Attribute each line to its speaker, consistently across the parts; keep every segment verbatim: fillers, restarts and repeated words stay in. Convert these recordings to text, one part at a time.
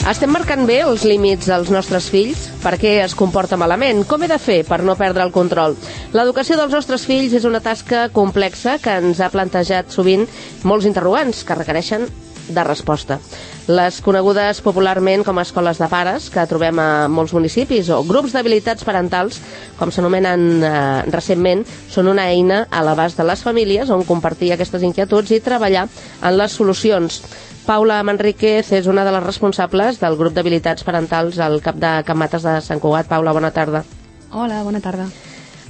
Speaker 1: Estem marcant bé els límits dels nostres fills? Per què es comporta malament? Com he de fer per no perdre el control? L'educació dels nostres fills és una tasca complexa que ens ha plantejat sovint molts interrogants que requereixen de resposta. Les conegudes popularment com a escoles de pares, que trobem a molts municipis, o grups d'habilitats parentals, com s'anomenen eh, recentment, són una eina a l'abast de les famílies on compartir aquestes inquietuds i treballar en les solucions. Paula Manríquez és una de les responsables del grup d'habilitats parentals al cap de Can Mates de Sant Cugat. Paula, bona tarda.
Speaker 2: Hola, bona tarda.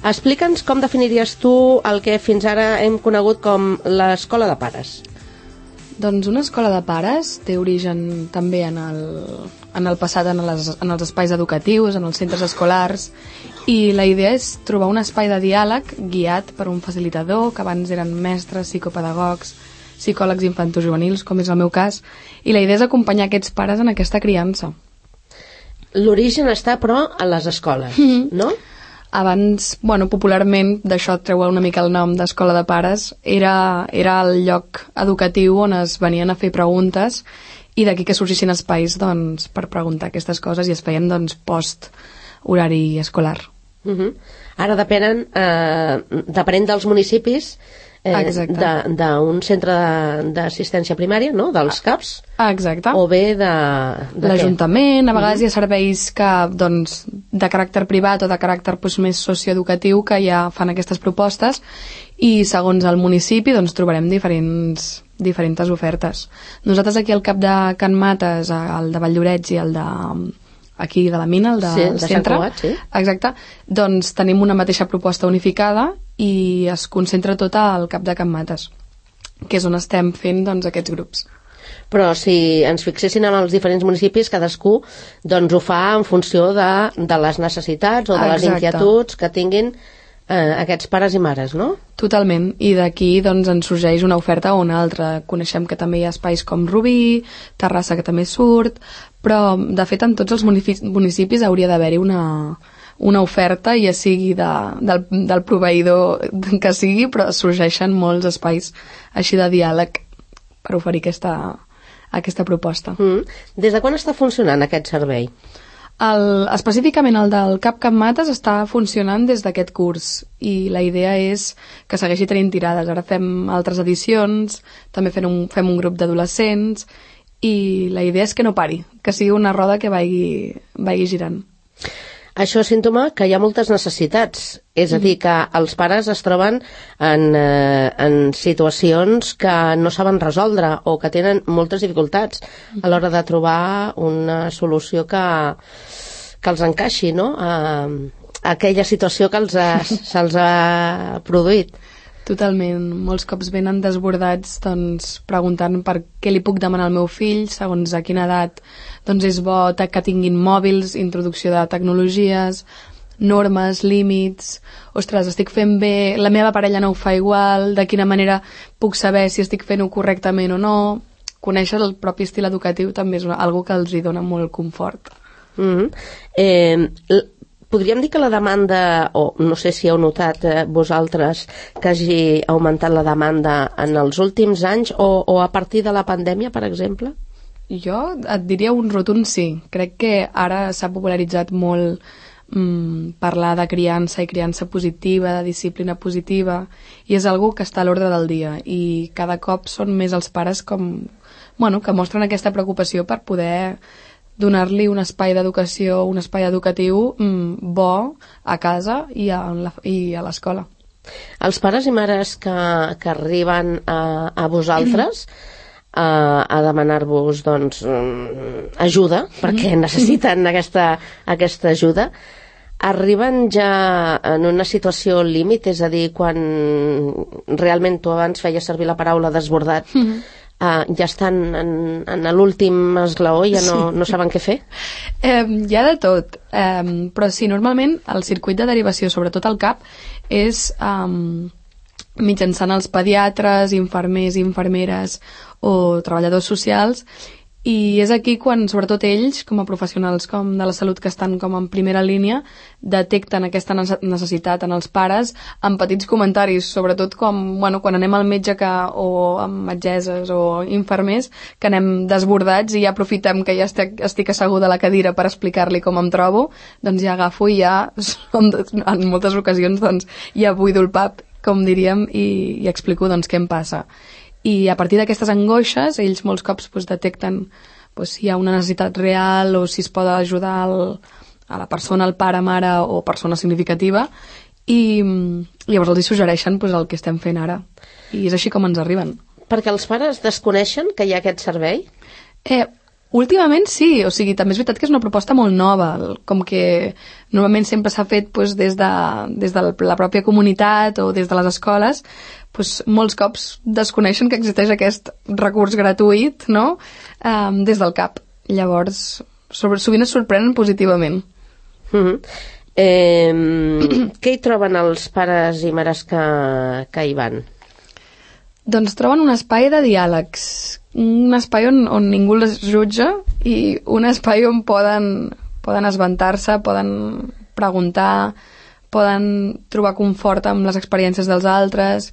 Speaker 1: Explica'ns com definiries tu el que fins ara hem conegut com l'escola de pares.
Speaker 2: Doncs una escola de pares té origen també en el, en el passat, en, les, en els espais educatius, en els centres escolars, i la idea és trobar un espai de diàleg guiat per un facilitador, que abans eren mestres, psicopedagogs, psicòlegs infantojuvenils, com és el meu cas, i la idea és acompanyar aquests pares en aquesta criança.
Speaker 1: L'origen està, però, a les escoles, mm-hmm. no?
Speaker 2: Abans, bueno, popularment, d'això treu una mica el nom d'escola de pares, era, era el lloc educatiu on es venien a fer preguntes i d'aquí que sorgissin espais doncs, per preguntar aquestes coses i es feien doncs, post-horari escolar.
Speaker 1: Uh-huh. Ara depenen, eh, depèn dels municipis, eh, d'un centre d'assistència primària, no? Dels C A Ps.
Speaker 2: Exacte.
Speaker 1: O bé de... de
Speaker 2: l'Ajuntament, a vegades uh-huh. hi ha serveis que, doncs, de caràcter privat o de caràcter doncs, més socioeducatiu que ja fan aquestes propostes i segons el municipi doncs, trobarem diferents, diferents ofertes. Nosaltres aquí al cap de Can Mates, el de Valldorets i el de... aquí de la mina, el de,
Speaker 1: sí, de
Speaker 2: centre,
Speaker 1: Cugat, sí.
Speaker 2: Exacte, doncs tenim una mateixa proposta unificada i es concentra tot al cap de Can Mates, que és on estem fent doncs, aquests grups.
Speaker 1: Però si ens fixessin en els diferents municipis, cadascú doncs, ho fa en funció de, de les necessitats o de les Exacte. Inquietuds que tinguin eh, aquests pares i mares, no?
Speaker 2: Totalment, i d'aquí doncs, ens sorgeix una oferta o una altra. Coneixem que també hi ha espais com Rubí, Terrassa, que també surt, però de fet en tots els municipis hauria d'haver-hi una, una oferta, ja sigui de, del, del proveïdor que sigui, però sorgeixen molts espais així de diàleg per oferir aquesta, aquesta proposta.
Speaker 1: Mm. Des de quan està funcionant aquest servei?
Speaker 2: El, específicament el del Cap Can Mates està funcionant des d'aquest curs i la idea és que segueixi tenint tirades. Ara fem altres edicions, també fem un, fem un grup d'adolescents i la idea és que no pari, que sigui una roda que vagi, vagi girant.
Speaker 1: Això és símptoma que hi ha moltes necessitats, és a dir, que els pares es troben en, eh, en situacions que no saben resoldre o que tenen moltes dificultats a l'hora de trobar una solució que, que els encaixi, no?, a, a aquella situació que els ha, se'ls ha produït.
Speaker 2: Totalment. Molts cops venen desbordats doncs, preguntant per què li puc demanar al meu fill, segons a quina edat doncs és bo que tinguin mòbils, introducció de tecnologies, normes, límits, ostres, estic fent bé, la meva parella no ho fa igual, de quina manera puc saber si estic fent-ho correctament o no. Conèixer el propi estil educatiu també és una, algo que els hi dona molt confort.
Speaker 1: Mm-hmm. Eh, podríem dir que la demanda, o no sé si heu notat eh, vosaltres que hagi augmentat la demanda en els últims anys o, o a partir de la pandèmia, per exemple?
Speaker 2: Jo et diria un rotund sí. Crec que ara s'ha popularitzat molt mm, parlar de criança i criança positiva, de disciplina positiva, i és algo que està a l'ordre del dia i cada cop són més els pares com, bueno, que mostren aquesta preocupació per poder donar-li un espai d'educació, un espai educatiu mm, bo a casa i a, la, i a l'escola.
Speaker 1: Els pares i mares que, que arriben a, a vosaltres a, a demanar-vos doncs, ajuda, perquè necessiten aquesta, aquesta ajuda, arriben ja en una situació límit, és a dir, quan realment tu abans feies servir la paraula desbordat, mm-hmm. Uh, ja estan en, en l'últim esglaó i ja no, sí. no saben què fer?
Speaker 2: Eh, hi ha de tot, eh, però sí, normalment el circuit de derivació, sobretot al cap, és um, mitjançant els pediatres, infermers i infermeres o treballadors socials I és aquí quan, sobretot ells, com a professionals com de la salut que estan com en primera línia, detecten aquesta necessitat en els pares amb petits comentaris, sobretot com, bueno, quan anem al metge que, o amb metgesses o infermers, que anem desbordats i ja aprofitem que ja estic, estic asseguda a la cadira per explicar-li com em trobo, doncs ja agafo i ja, en moltes ocasions, doncs ja buido el pap, com diríem, i, i explico doncs què em passa. I a partir d'aquestes angoixes, ells molts cops doncs, detecten doncs, si hi ha una necessitat real o si es pot ajudar el, a la persona, el pare, mare o persona significativa, i, i llavors els suggereixen doncs, el que estem fent ara. I és així com ens arriben.
Speaker 1: Perquè els pares desconeixen que hi ha aquest servei?
Speaker 2: Eh, últimament sí, o sigui, també és veritat que és una proposta molt nova, com que normalment sempre s'ha fet doncs, des, de, des de la pròpia comunitat o des de les escoles, doncs, molts cops desconeixen que existeix aquest recurs gratuït, no?, um, des del cap. Llavors, sobre, sovint es sorprenen positivament.
Speaker 1: Mm-hmm. eh, què hi troben els pares i mares que, que hi van?
Speaker 2: Doncs troben un espai de diàlegs, un espai on, on ningú les jutja i un espai on poden, poden esventar-se, poden preguntar, poden trobar confort amb les experiències dels altres,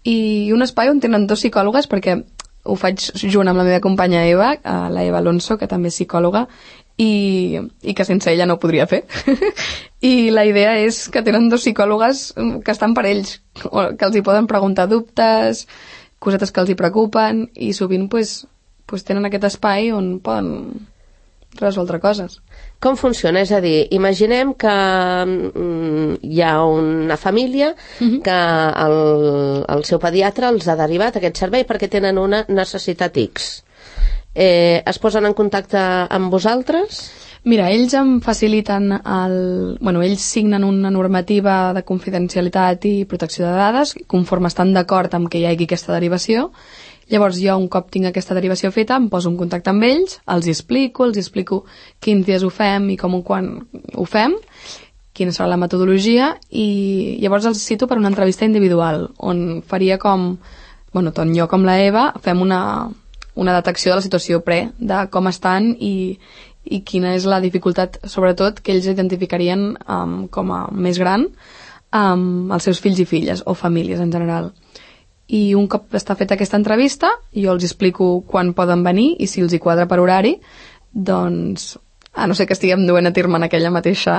Speaker 2: i un espai on tenen dos psicòlogues, perquè ho faig junt amb la meva companya Eva, la Eva Alonso, que també és psicòloga, i, i que sense ella no ho podria fer. I la idea és que tenen dos psicòlogues que estan per ells, que els hi poden preguntar dubtes, cosetes que els hi preocupen, i sovint pues, pues tenen aquest espai on poden resoldre coses.
Speaker 1: Com funciona? És a dir, imaginem que mm, hi ha una família uh-huh. que el, el seu pediatre els ha derivat a aquest servei perquè tenen una necessitat X. Eh, es posen en contacte amb vosaltres?
Speaker 2: Mira, ells em faciliten el... Bueno, ells signen una normativa de confidencialitat i protecció de dades, conforme estan d'acord amb que hi hagi aquesta derivació. Llavors jo, un cop tinc aquesta derivació feta, em poso en contacte amb ells, els hi explico, els hi explico quins dies ho fem i com o quan ho fem, quina serà la metodologia, i llavors els cito per una entrevista individual, on faria com, bueno, tant jo com la Eva, fem una, una detecció de la situació pre, de com estan i, i quina és la dificultat, sobretot, que ells identificarien um, com a més gran amb um, els seus fills i filles, o famílies en general. I un cop està feta aquesta entrevista, jo els explico quan poden venir i si els hi quadra per horari, doncs, a no ser que estiguem duent a terme en aquella mateixa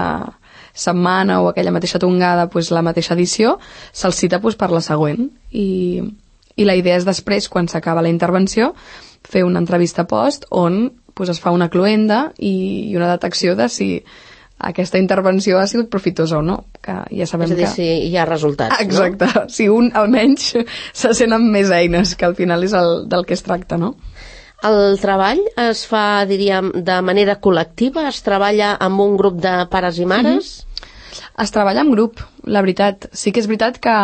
Speaker 2: setmana o aquella mateixa tongada, doncs la mateixa edició, se'ls cita doncs, per la següent. I, i la idea és després, quan s'acaba la intervenció, fer una entrevista post on doncs, es fa una cloenda i, i una detecció de si aquesta intervenció ha sigut profitosa o no, que ja sabem que...
Speaker 1: És a dir, que... si hi ha resultats,
Speaker 2: exacte, no? Si un almenys se sent amb més eines, que al final és el, del que es tracta, no?
Speaker 1: El treball es fa, diríem, de manera col·lectiva? Es treballa amb un grup de pares i mares?
Speaker 2: Mm-hmm. Es treballa en grup, la veritat. Sí que és veritat que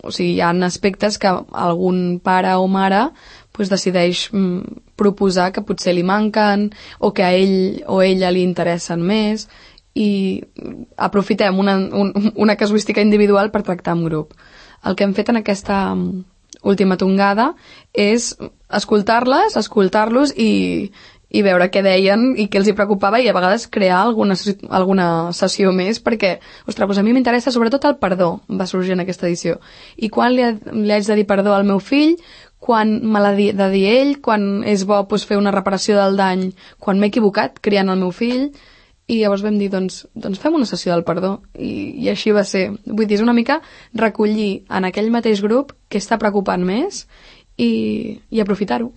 Speaker 2: o sigui, hi ha aspectes que algun pare o mare pues, decideix mm, proposar que potser li manquen o que a ell o ella li interessen més, i aprofitem una, un, una casuística individual per tractar en grup. El que hem fet en aquesta última tongada és escoltar-les, escoltar-los i, i veure què deien i què els hi preocupava i a vegades crear alguna, alguna sessió més perquè, ostres, doncs a mi m'interessa sobretot el perdó, va sorgir en aquesta edició. I quan li, li haig de dir perdó al meu fill, quan me l'ha de dir ell, quan és bo doncs, fer una reparació del dany, quan m'he equivocat criant el meu fill. I llavors vam dir, doncs, doncs fem una sessió del perdó. I, i així va ser. Vull dir, és una mica recollir en aquell mateix grup què està preocupant més i, i aprofitar-ho.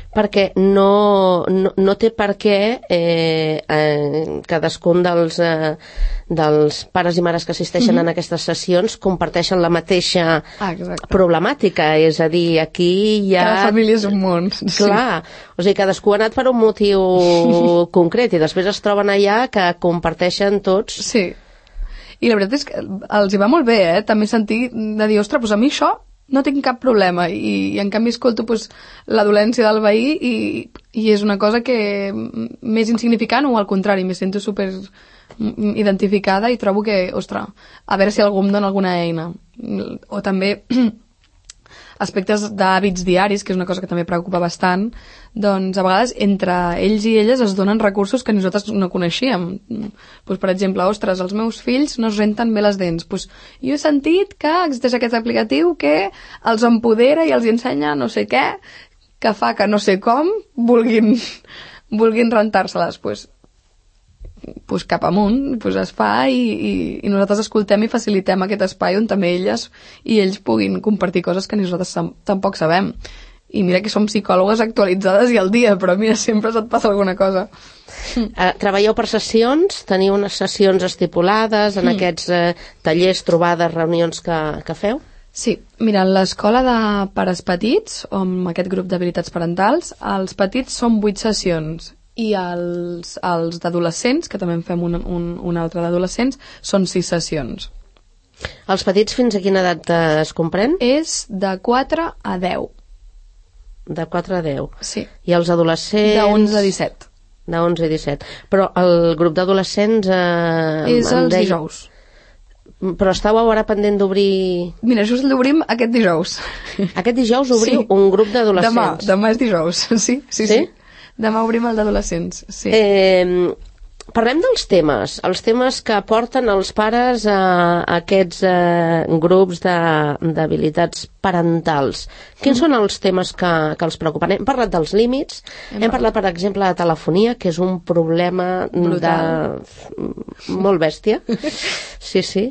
Speaker 1: Perquè no, no, no té per què eh, eh, cadascun dels, eh, dels pares i mares que assisteixen mm-hmm. en aquestes sessions comparteixen la mateixa
Speaker 2: ah,
Speaker 1: problemàtica. És a dir, aquí hi ha...
Speaker 2: Cada família és un món.
Speaker 1: Clar, sí. O sigui, cadascú ha anat per un motiu concret i després es troben allà que comparteixen tots...
Speaker 2: Sí. I la veritat és que els hi va molt bé, eh? També sentir de dir, ostres, doncs a mi això no tinc cap problema i, i en canvi escolto pues, la dolència del veí i, i és una cosa que més insignificant o al contrari, me sento super identificada i trobo que, ostres, a veure si algú em dona alguna eina. O també aspectes d'hàbits diaris, que és una cosa que també preocupa bastant, doncs a vegades entre ells i elles es donen recursos que nosaltres no coneixíem. Pues, per exemple, ostres, els meus fills no es renten bé les dents. Pues, jo he sentit que existeix aquest aplicatiu que els empodera i els ensenya no sé què, que fa que no sé com vulguin, vulguin rentar-se-les. Pues, pues cap amunt, pues es fa i, i, i nosaltres escoltem i facilitem aquest espai on també elles i ells puguin compartir coses que nosaltres tampoc sabem. I mira que som psicòlogues actualitzades i al dia, però mira, sempre et passa alguna cosa.
Speaker 1: Uh, treballeu per sessions? Teniu unes sessions estipulades en mm. aquests uh, tallers, trobades, reunions que, que feu?
Speaker 2: Sí, mira, a l'escola de pares petits, amb aquest grup d'habilitats parentals, els petits són vuit sessions i els, els d'adolescents, que també en fem un, un, un altre d'adolescents, són sis sessions.
Speaker 1: Els petits fins a quina edat es comprèn?
Speaker 2: És de quatre a deu.
Speaker 1: De quatre a deu.
Speaker 2: Sí.
Speaker 1: I els adolescents...
Speaker 2: De onze a disset.
Speaker 1: De onze a disset. Però el grup d'adolescents... Eh,
Speaker 2: és els
Speaker 1: deia...
Speaker 2: dijous.
Speaker 1: Però estàveu ara pendent d'obrir...
Speaker 2: Mira, just l'obrim aquest dijous.
Speaker 1: Aquest dijous obriu
Speaker 2: sí.
Speaker 1: un grup d'adolescents?
Speaker 2: Demà, demà és dijous, sí, sí, sí. sí. Demà obrim el d'adolescents, sí.
Speaker 1: Eh, parlem dels temes, els temes que porten els pares a, a aquests eh, grups d'habilitats parentals. Quins mm. són els temes que, que els preocupen? Hem parlat dels límits, hem, hem parlat, per exemple, de telefonia, que és un problema brutal. De... molt bèstia. Sí, sí.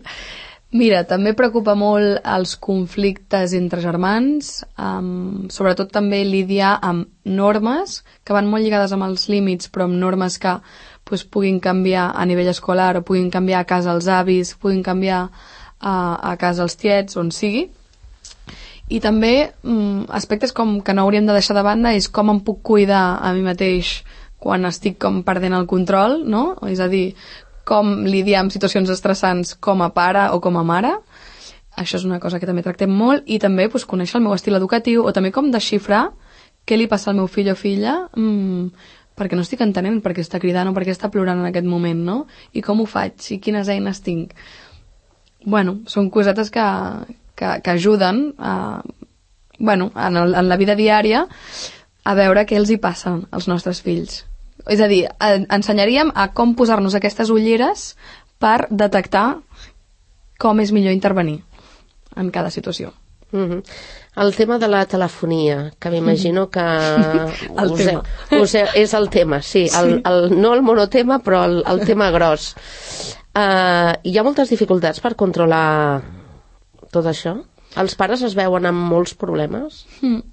Speaker 2: Mira, també preocupa molt els conflictes entre germans, um, sobretot també lidiar amb normes que van molt lligades amb els límits, però amb normes que pues, puguin canviar a nivell escolar o puguin canviar a casa els avis, puguin canviar a, a casa els tiets, on sigui. I també um, aspectes com que no hauríem de deixar de banda és com em puc cuidar a mi mateix quan estic com perdent el control, no? És a dir, com lidiar amb situacions estressants com a pare o com a mare. Això és una cosa que també tractem molt. I també pues, conèixer el meu estil educatiu o també com desxifrar què li passa al meu fill o filla mmm, perquè no estic entenent per què està cridant o per què està plorant en aquest moment, no? I com ho faig? I quines eines tinc? Bueno, són cosetes que, que, que ajuden a, bueno, en, el, en la vida diària a veure què els hi passa als nostres fills. És a dir, ensenyaríem a com posar-nos aquestes ulleres per detectar com és millor intervenir en cada situació.
Speaker 1: Mm-hmm. El tema de la telefonia, que m'imagino que...
Speaker 2: el
Speaker 1: us
Speaker 2: tema.
Speaker 1: He, us he, és el tema, sí. sí. El, el, no el monotema, però el, el tema gros. Uh, hi ha moltes dificultats per controlar tot això? Els pares es veuen amb molts problemes?
Speaker 2: Mm.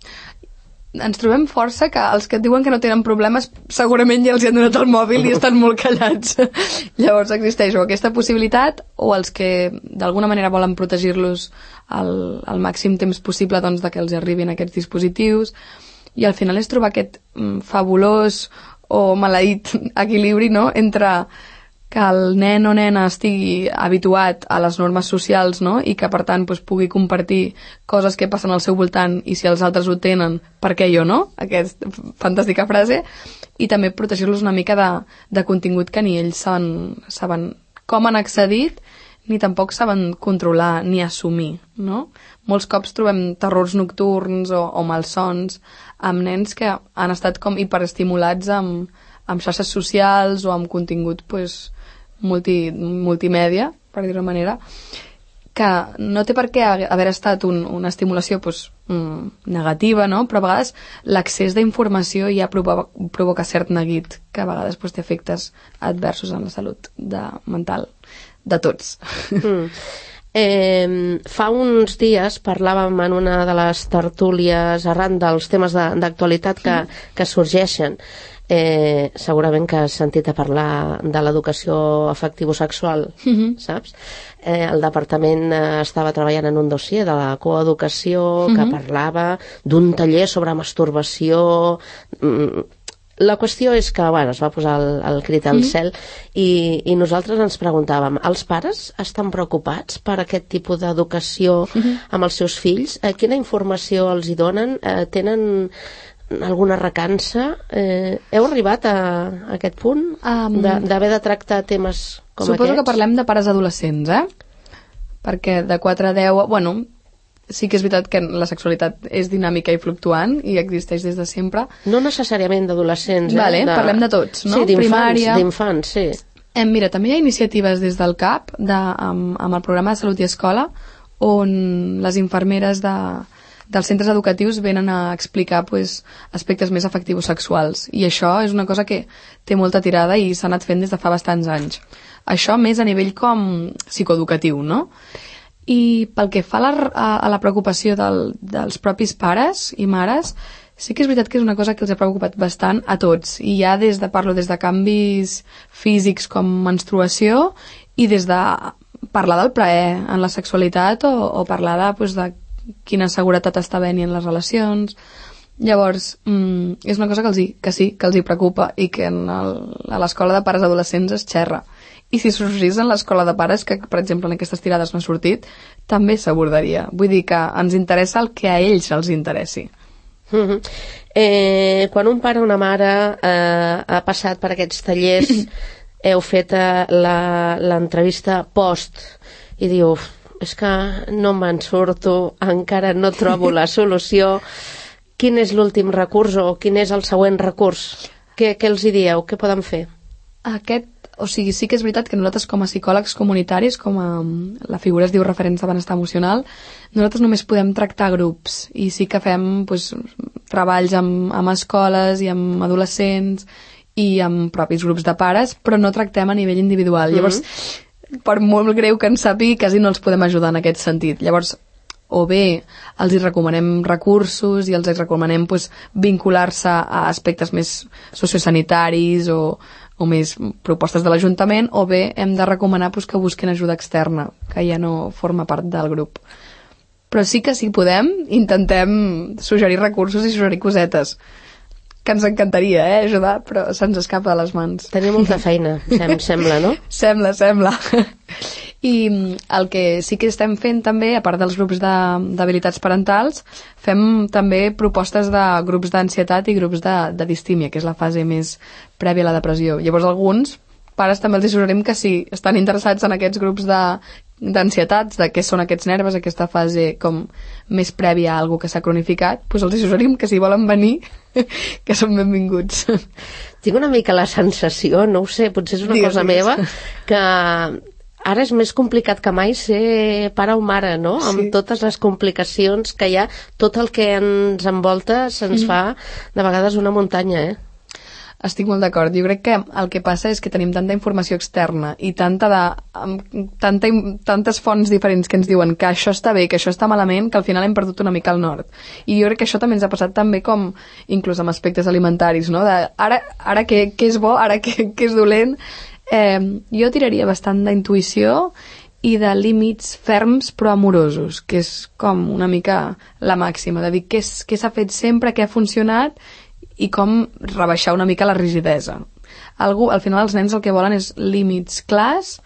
Speaker 2: Ens trobem força que els que et diuen que no tenen problemes segurament ja els hi han donat el mòbil i estan molt callats. Llavors existeix o aquesta possibilitat o els que d'alguna manera volen protegir-los al, al màxim temps possible doncs, de que els arribin aquests dispositius, i al final és trobar aquest mm, fabulós o maleït equilibri, no?, entre que el nen o nena estigui habituat a les normes socials, no?, i que per tant pues, pugui compartir coses que passen al seu voltant, i si els altres ho tenen, per què jo no? Aquesta fantàstica frase. I també protegir-los una mica de, de contingut que ni ells saben, saben com han accedit, ni tampoc saben controlar ni assumir, no? Molts cops trobem terrors nocturns o, o malsons amb nens que han estat com hiperestimulats amb, amb xarxes socials o amb contingut pues, multi, multimèdia, per dir-ho manera, que no té per què haver estat un, una estimulació pues, mm, negativa, no? Però a vegades l'accés d'informació ja provoca, provoca cert neguit, que a vegades pues, té efectes adversos en la salut de, mental de tots.
Speaker 1: Mm. Eh, fa uns dies parlàvem en una de les tertúlies arran dels temes d'actualitat que, que sorgeixen. Eh, segurament que has sentit a parlar de l'educació afectivo-sexual, mm-hmm. saps? Eh, el departament eh, estava treballant en un dossier de la coeducació mm-hmm. que parlava d'un taller sobre masturbació. Mm, la qüestió és que, bueno, es va posar el, el crit al mm-hmm. cel i, i nosaltres ens preguntàvem, els pares estan preocupats per aquest tipus d'educació mm-hmm. amb els seus fills? Eh, quina informació els hi donen? Eh, tenen alguna recança? Eh, heu arribat a, a aquest punt um, d'haver de, de tractar temes com
Speaker 2: suposo
Speaker 1: aquests?
Speaker 2: Que parlem de pares adolescents, eh? Perquè de quatre a deu, bueno, sí que és veritat que la sexualitat és dinàmica i fluctuant i existeix des de sempre.
Speaker 1: No necessàriament d'adolescents, eh?
Speaker 2: Vale,
Speaker 1: de...
Speaker 2: parlem de tots, no?
Speaker 1: Sí, d'infants,
Speaker 2: Primària.
Speaker 1: d'infants, sí.
Speaker 2: Eh, mira, també hi ha iniciatives des del C A P de, amb, amb el programa de Salut i Escola on les infermeres de, dels centres educatius venen a explicar pues, aspectes més afectius sexuals i això és una cosa que té molta tirada i s'ha anat fent des de fa bastants anys. Això més a nivell com psicoeducatiu, no? I pel que fa a la, a, a la preocupació del, dels propis pares i mares, sí que és veritat que és una cosa que els ha preocupat bastant a tots. I ja des de, parlo des de canvis físics com menstruació i des de parlar del plaer en la sexualitat o, o parlar de, pues, de quina seguretat està havent-hi en les relacions. Llavors, mm, és una cosa que, els hi, que sí, que els hi preocupa i que en el, a l'escola de pares adolescents es xerra. I si sorgís en l'escola de pares, que per exemple en aquestes tirades no ha sortit, també s'abordaria. Vull dir que ens interessa el que a ells els interessi.
Speaker 1: Mm-hmm. eh, quan un pare o una mare eh, ha passat per aquests tallers, heu fet eh, l'entrevista post i diu, és que no me'n surto, encara no trobo la solució, quin és l'últim recurs o quin és el següent recurs? Què, què els hi dieu? Què poden fer?
Speaker 2: Aquest O sigui, sí que és veritat que nosaltres com a psicòlegs comunitaris, com a, la figura es diu referents de benestar emocional, nosaltres només podem tractar grups i sí que fem pues, treballs amb, amb escoles i amb adolescents i amb propis grups de pares, però no tractem a nivell individual. Mm-hmm. Llavors, per molt greu que ens sàpigui, quasi no els podem ajudar en aquest sentit. Llavors, o bé els hi recomanem recursos i els hi recomanem pues, vincular-se a aspectes més sociosanitaris o o més propostes de l'Ajuntament, o bé hem de recomanar pues, que busquin ajuda externa, que ja no forma part del grup. Però sí que si podem, intentem suggerir recursos i suggerir cosetes, que ens encantaria eh, ajudar, però se'ns escapa de les mans.
Speaker 1: Teniu molta feina, sem sembla, no?
Speaker 2: Sembla, sembla. I el que sí que estem fent també, a part dels grups d'habilitats de, parentals, fem també propostes de grups d'ansietat i grups de, de distímia, que és la fase més prèvia a la depressió. Llavors alguns pares també els suggerim que si estan interessats en aquests grups d'ansietats, de, de què són aquests nervis, aquesta fase com més prèvia a alguna que s'ha cronificat, doncs els suggerim que si volen venir, que són benvinguts.
Speaker 1: Tinc una mica la sensació, no ho sé, potser és una digues, cosa digues. meva, que ara és més complicat que mai ser pare o mare, no? Sí. Amb totes les complicacions que hi ha, tot el que ens envolta se'ns mm. fa de vegades una muntanya, eh?
Speaker 2: Estic molt d'acord. Jo crec que el que passa és que tenim tanta informació externa i tanta de, tanta, tantes fonts diferents que ens diuen que això està bé, que això està malament, que al final hem perdut una mica el nord. I jo crec que això també ens ha passat també com, inclús amb aspectes alimentaris, no? De ara, ara què, què és bo, ara què, què és dolent. Eh, jo tiraria bastant d'intuïció i de límits ferms però amorosos, que és com una mica la màxima, de dir què s'ha fet sempre, què ha funcionat i com rebaixar una mica la rigidesa. Algú, al final els nens el que volen és límits clars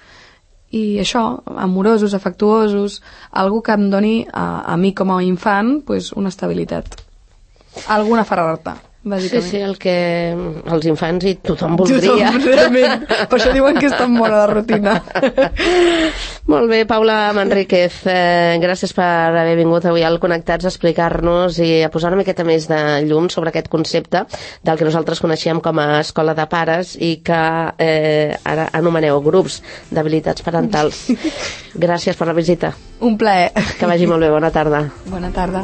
Speaker 2: i això, amorosos, afectuosos, algú que em doni a, a mi com a infant pues, una estabilitat. Alguna ferrarta, bàsicament.
Speaker 1: Sí, sí, el que els infants i tothom voldria.
Speaker 2: Tothom, realment. Per això diuen que és tan bona la rutina.
Speaker 1: Molt bé, Paula Manríquez, eh, gràcies per haver vingut avui al Connectats a explicar-nos i a posar una miqueta més de llum sobre aquest concepte del que nosaltres coneixíem com a escola de pares i que eh, ara anomeneu grups d'habilitats parentals. Gràcies per la visita.
Speaker 2: Un plaer.
Speaker 1: Que vagi molt bé, bona tarda.
Speaker 2: Bona tarda.